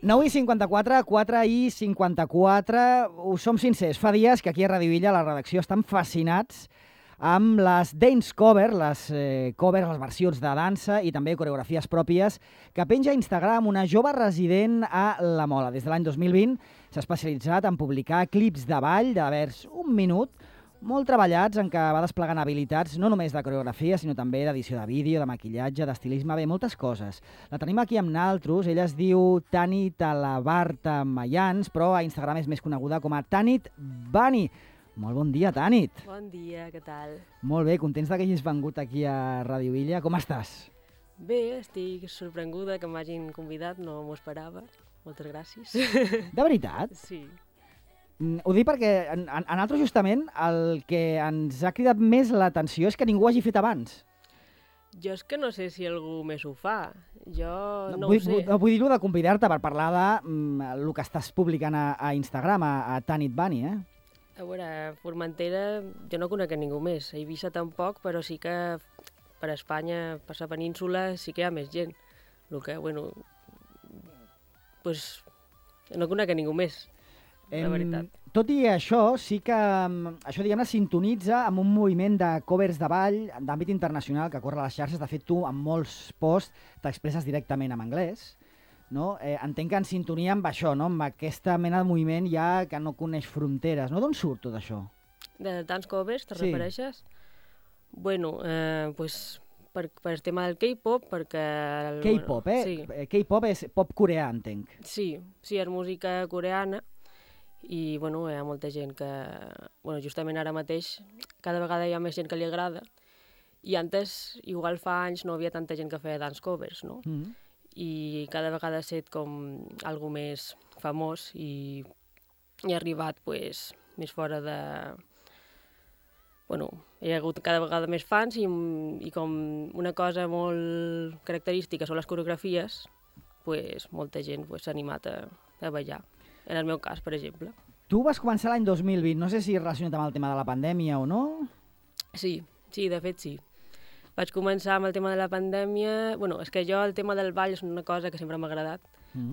9:54, 4:54, us som sincers, fa dies que aquí a Radio Illa, a la redacció, estan fascinats amb les dance cover, les versions de dansa i també coreografies pròpies que penja a Instagram una jove resident a La Mola. Des de l'any 2020 s'ha especialitzat en publicar clips de ball de vers un minut, molt treballats, en què va desplegant habilitats no només de coreografia, sinó també d'edició de vídeo, de maquillatge, d'estilisme, bé, moltes coses. La tenim aquí amb naltros, ella es diu Tanit Alabarta Mayans, però a Instagram és més coneguda com a Tanit Bunny. Molt bon dia, Tanit. Bon dia, què tal? Molt bé, contents que hagis vengut aquí a Radio Illa. Com estàs? Bé, estic sorprenguda que m'hagin convidat, no m'ho esperava. Moltes gràcies. De veritat? Sí. Ho dic perquè a nosaltres justament el que ens ha cridat més l'atenció és que ningú ho hagi fet abans. Jo és que no sé si algú més ho fa. Jo no vull, ho sé. Vull dir-ho de convidar-te per parlar de el que estàs publicant a Instagram, a Tanit Bunny, eh? A veure, a Formentera jo no conec a ningú més. A Eivissa tampoc, però sí que per Espanya, per la península, sí que hi ha més gent. El que, bueno, pues, no conec a ningú més. La veritat. Tot i això, sí que això, diguem-ne, sintonitza amb un moviment de covers de ball d'àmbit internacional que corre a les xarxes. De fet, tu, en molts posts, t'expresses directament en anglès. No? Entenc que en sintonia amb això, no? Amb aquesta mena de moviment ja que no coneix fronteres. No? D'on surt tot això? De tants covers, te refereixes? Bueno, pues, per el tema del K-pop, perquè... K-pop, eh? Sí. K-pop és pop coreà, entenc. Sí, és música coreana. I bueno, hi ha molta gent que, bueno, justament ara mateix, cada vegada hi ha més gent que li agrada, i antes, igual fa anys, no hi havia tanta gent que feia dance covers, no? I cada vegada ha estat com algo més famós i ha arribat pues, més fora de... Bueno, hi ha hagut cada vegada més fans i com una cosa molt característica són les coreografies, pues, molta gent s'ha animat a ballar. En el meu cas, per exemple. Tu vas començar l'any 2020, no sé si relacionat amb el tema de la pandèmia o no? Sí, de fet sí. Vaig començar amb el tema de la pandèmia... Bueno, és que jo el tema del ball és una cosa que sempre m'ha agradat,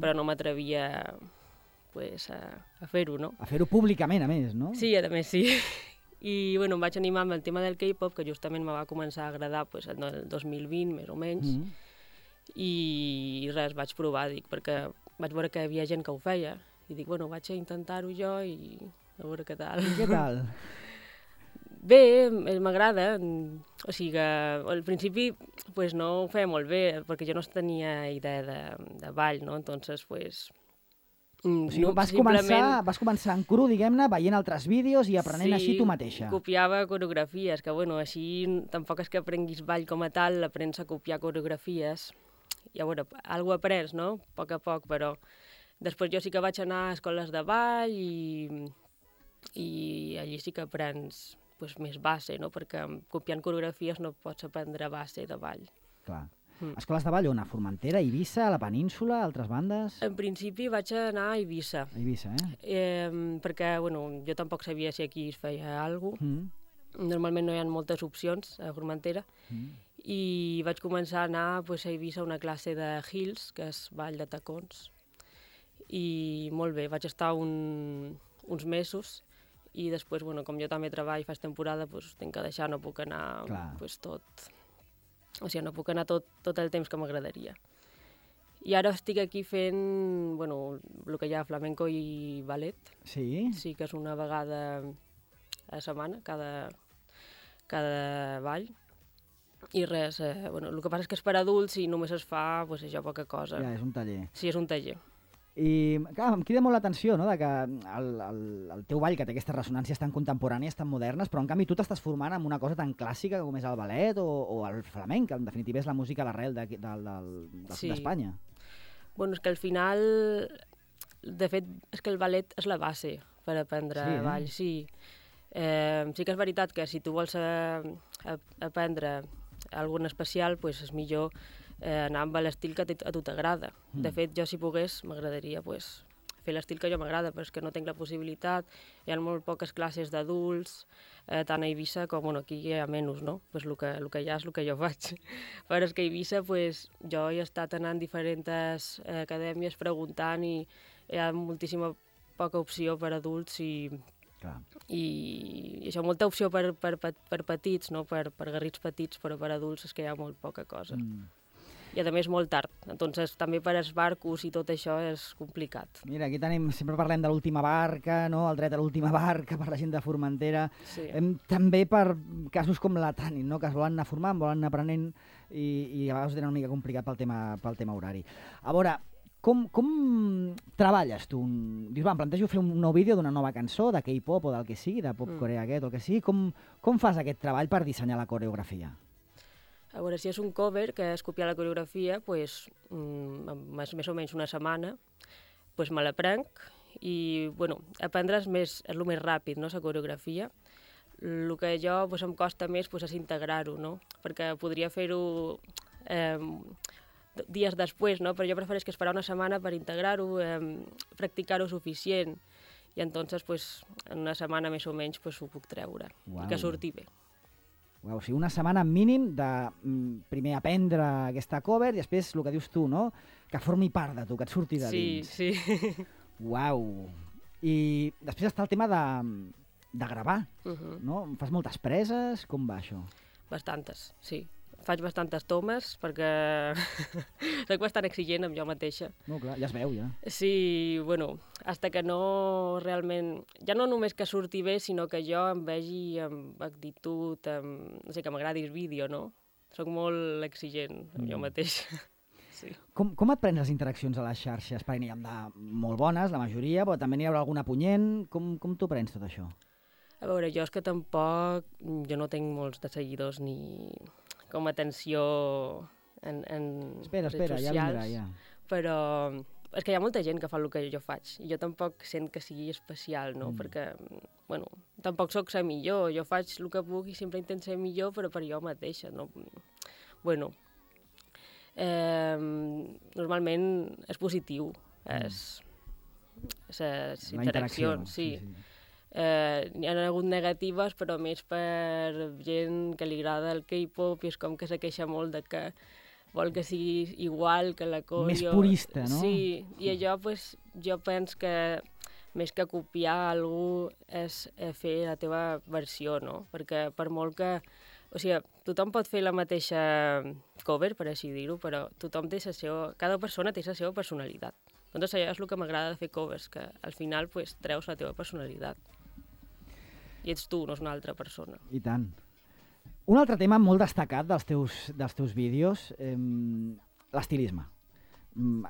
però no m'atrevia pues, a fer-ho, no? A fer-ho públicament, a més, no? Sí, a més sí. I bueno, em vaig animar amb el tema del K-pop, que justament me va començar a agradar pues, el 2020, més o menys, i res, vaig provar, dic, perquè vaig veure que hi havia gent que ho feia, i dic, bueno, vaig a intentar-ho jo i a veure què tal. I què tal? Bé, m'agrada. O sigui que al principi pues, no ho feia molt bé, perquè jo no tenia idea de ball, no? Entonces, pues... O sigui, vas començar en cru, diguem-ne, veient altres vídeos i aprenent així tu mateixa. Sí, copiava coreografies, que bueno, així tampoc és que aprenguis ball com a tal, aprens a copiar coreografies. I a veure, alguna cosa aprens, no? A poc, però... Després jo sí que vaig anar a escoles de ball i allí sí que aprens pues, més base, no? Perquè copiant coreografies no pots aprendre base de ball. Clar. Escoles de ball on? A Formentera, a Eivissa, a la península, a altres bandes? En principi vaig anar a Eivissa. A Eivissa, perquè bueno, jo tampoc sabia si aquí es feia alguna cosa. Normalment no hi ha moltes opcions a Formentera. I vaig començar a anar pues, a Eivissa a una classe de Hills, que és ball de tacons. I molt bé, vaig estar uns mesos i després, bueno, com jo també treballo, faig temporada, doncs tinc que deixar, no puc anar pues, tot... O sigui, no puc anar tot el temps que m'agradaria. I ara estic aquí fent, bueno, el que hi ha flamenco i ballet. Sí? Sí, que és una vegada a la setmana, cada ball. I res, bueno, el que passa és que és per adults i només es fa, pues, això, poca cosa. Ja, és un taller. Sí, és un taller. I clar, em crida molt l'atenció, no?, de que el teu ball, que té aquestes ressonàncies tan contemporànies, tan modernes, però en canvi tu t'estàs formant en una cosa tan clàssica com és el ballet o el flamenc, que en definitiva és la música a l'arrel d'Espanya. Bueno, és que al final, de fet, és que el ballet és la base per aprendre ball, sí. Sí que és veritat que si tu vols aprendre alguna especial, pues és millor anar amb l'estil que a tu t'agrada. De fet, jo si pogués m'agradaria pues, fer l'estil que jo m'agrada, però és que no tinc la possibilitat. Hi ha molt poques classes d'adults, tant a Eivissa com aquí hi ha menys, no? Pues el que hi ha és el que jo faig. Però és que a Eivissa jo he estat anant a diferents acadèmies preguntant i hi ha moltíssima poca opció per adults i això, molta opció per petits, no? per garrits petits, però per adults és que hi ha molt poca cosa. I a més molt tard, entonces també per als barcos i tot això és complicat. Mira, aquí sempre parlem de l'última barca, no? El dret a l'última barca per la gent de Formentera. Sí. També per casos com la Tanit, no? Que es volen anar formant, volen anar aprenent i a vegades ho tenen una mica complicat pel tema horari. A veure, com treballes tu? Dius, em plantejo fer un nou vídeo d'una nova cançó, de K-pop o del que sigui, de pop coreà aquest o el que sigui. Com fas aquest treball per dissenyar la coreografia? A veure, si és un cover, que és copiar la coreografia, més o menys una setmana, me l'aprenc i, aprendre és el més ràpid, no?, la coreografia. El que jo em costa més és integrar-ho, no?, perquè podria fer-ho dies després, no?, però jo prefereixo esperar una setmana per integrar-ho, practicar-ho suficient, i entonces, en una setmana més o menys ho puc treure, i que surti bé. O sigui, una setmana mínim de primer aprendre aquesta cover i després el que dius tu, no? Que formi part de tu, que et surti de dins. Sí. Uau! I després està el tema de gravar, no? Fas moltes preses? Com va això? Bastantes, sí. Faig bastantes tomes perquè soc bastant exigent amb jo mateixa. No, clar, ja es veu, ja. Sí, hasta que no realment... Ja no només que surti bé, sinó que jo em vegi amb actitud, no sé, que m'agradi el vídeo, no? Soc molt exigent amb jo mateixa. Sí. Com et prens les interaccions a les xarxes? Perquè n'hi ha de molt bones, la majoria, però també n'hi haurà alguna punyent. Com t'ho prens tot això? A veure, jo és que tampoc... Jo no tinc molts de seguidors ni com atenció en Espera, ja vindrà, ja. Però és que hi ha molta gent que fa el que jo faig i jo tampoc sent que sigui especial, no? Perquè, tampoc sóc la millor, jo faig el que puc i sempre intento ser millor, però per jo mateixa, no? Normalment és positiu, les interaccions, sí. N'hi ha hagut negatives, però més per gent que li agrada el K-pop i és com que se queixa molt de que vol que sigui igual que la coreo. Més purista, no? Sí, i allò, jo penso que més que copiar algú és fer la teva versió, no? Perquè per molt que... O sigui, tothom pot fer la mateixa cover, per així dir-ho, però tothom té la seva... Cada persona té la seva personalitat. Doncs això és el que m'agrada de fer covers, que al final treus la teva personalitat. I ets tu, no és una altra persona. I tant. Un altre tema molt destacat dels teus vídeos, l'estilisme.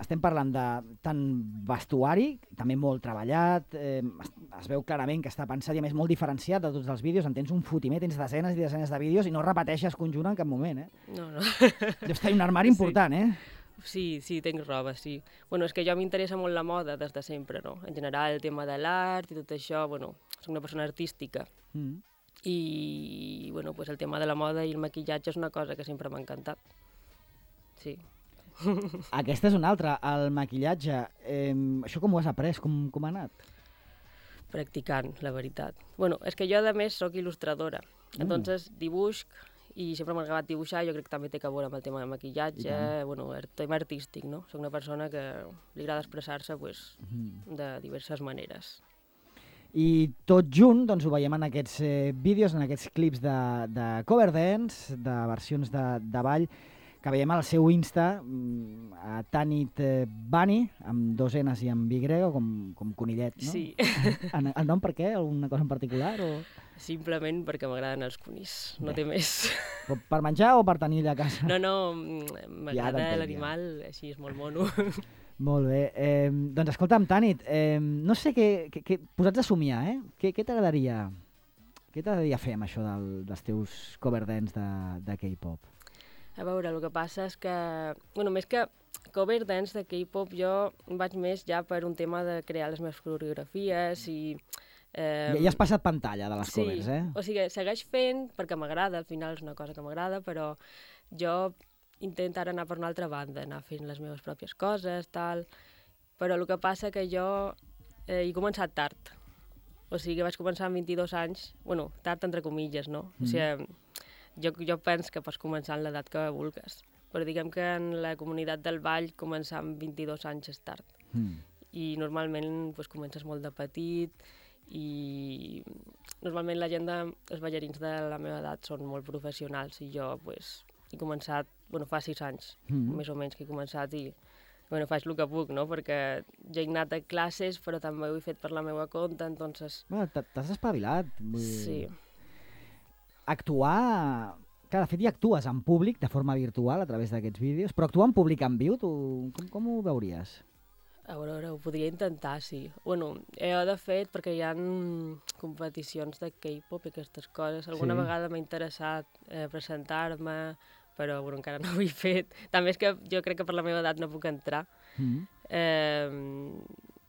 Estem parlant de tant vestuari, també molt treballat, es veu clarament que està pensat i a més molt diferenciat de tots els vídeos, en tens un fotimer, tens desenes i desenes de vídeos i no repeteixes conjunt en cap moment, No. Deus tenir un armari important, Sí, tinc roba, sí. És que jo m'interessa molt la moda des de sempre, no? En general, el tema de l'art i tot això, soc una persona artística. I, el tema de la moda i el maquillatge és una cosa que sempre m'ha encantat. Sí. Aquesta és una altra, el maquillatge. Això com ho has après? Com ha anat? Practicant, la veritat. És que jo, a més, soc il·lustradora. Entonces, dibuix, i sempre m'ha agradat dibuixar, jo crec que també té a veure amb el tema de maquillatge, el tema artístic, no? Soc una persona que li agrada expressar-se de diverses maneres. I tot junt ho veiem en aquests vídeos, en aquests clips de cover dance, de versions de ball, que veiem al seu Insta, a Tanit Bunny, amb 2 N's i amb Y, com conillet, no? Sí. El nom per què? Alguna cosa en particular? Simplement perquè m'agraden els conills, no té més. Per menjar o per tenir a casa? No, m'agrada l'animal, així és molt mono. Molt bé. Doncs escolta'm, Tanit, no sé posats a somiar, què t'agradaria fer amb això dels teus cover dance de K-pop? A veure, el que passa és que, més que cover dance de K-pop, jo vaig més ja per un tema de crear les meves coreografies i... Ja has passat pantalla de les covers, O sigui, segueix fent perquè m'agrada, al final és una cosa que m'agrada, però jo intento ara anar per una altra banda, anar fent les meves pròpies coses, tal... Però el que passa que jo he començat tard. O sigui que vaig començar amb 22 anys, bueno, tard entre comilles, no? O sigui, jo penso que pots començar en l'edat que vulguis, però diguem que en la comunitat del ball començar amb 22 anys és tard. I normalment pues, comences molt de petit i normalment la gent els ballarins de la meva edat són molt professionals i jo pues, he començat, bueno, fa 6 anys, més o menys que he començat i bueno, faig el que puc, no? Perquè ja he anat a classes, però també ho he fet per la meva compte, entonces... Bueno, t'has espavilat. Sí. Actuar... Clar, de fet, ja actues en públic, de forma virtual, a través d'aquests vídeos, però actuar en públic en viu, tu com ho veuries? A veure, ho podria intentar, sí. Bueno, jo, de fet, perquè hi ha competicions de K-pop i aquestes coses, alguna vegada m'ha interessat presentar-me, però bueno, encara no ho he fet. També és que jo crec que per la meva edat no puc entrar.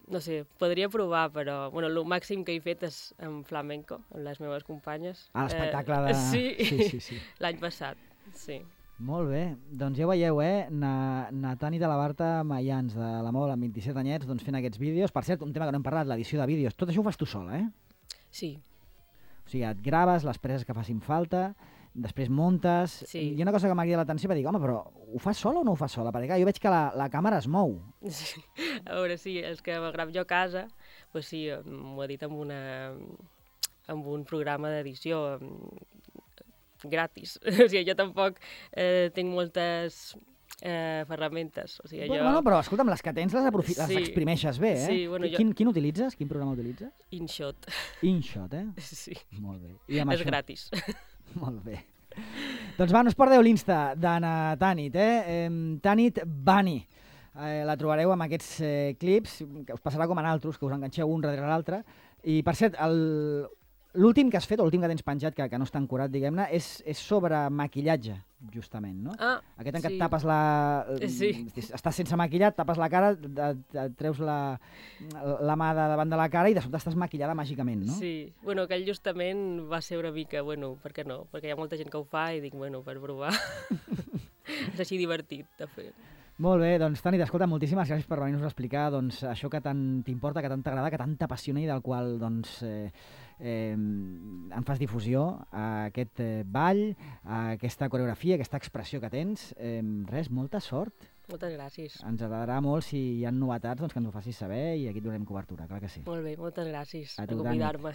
No sé, podria provar, però bueno, el màxim que he fet és en flamenco, amb les meves companyes. Ah, l'espectacle de... Sí. L'any passat, sí. Molt bé, doncs ja ho veieu, Natani de la Barta Mayans, de la Mol, amb 27 anyets, doncs fent aquests vídeos. Per cert, un tema que no hem parlat, l'edició de vídeos. Tot això ho fas tu sola, Sí. O sigui, et graves les preses que facin falta, després muntes... Sí. Hi ha una cosa que m'ha cridat l'atenció per dir, home, però ho fas sola o no ho fas sola? Perquè clar, jo veig que la càmera es mou. Sí. A veure, sí, els que me gravo jo a casa, pues sí, m'ho he dit amb un programa d'edició gratis. O sigui, jo tampoc tinc moltes ferramentes. O sigui, Bueno, però escolta'm, les que tens les exprimeixes bé, Sí, bueno, Quin utilitzes? Quin programa utilitzes? InShot. InShot, Sí. Molt bé. És gratis. Molt bé. Doncs va, no us perdeu l'Insta d'Anna Tanit, Tanit Bani. La trobareu amb aquests clips, que us passarà com en altres, que us enganxeu un darrere l'altre. I, per cert, l'últim que has fet, o l'últim que tens penjat, que no està ancorat, diguem-ne, és sobre maquillatge, justament, no? Ah, aquest en què sí. et tapes estàs sense maquillat, tapes la cara, et treus la mà de davant de la cara i de sobte estàs maquillada màgicament, no? Sí. Bueno, aquell justament va ser una mica, bueno, per què no? Perquè hi ha molta gent que ho fa i dic, bueno, per provar. És així divertit, de fer. Molt bé, doncs Tanit, escolta, moltíssimes gràcies per venir-nos a explicar doncs, això que tant t'importa, que tant t'agrada, que tant t'apassiona i del qual doncs, en fas difusió a aquest ball, a aquesta coreografia, a aquesta expressió que tens. Res, molta sort. Moltes gràcies. Ens agradarà molt si hi ha novetats doncs, que ens ho facis saber i aquí et donarem cobertura, clar que sí. Molt bé, moltes gràcies per convidar-me.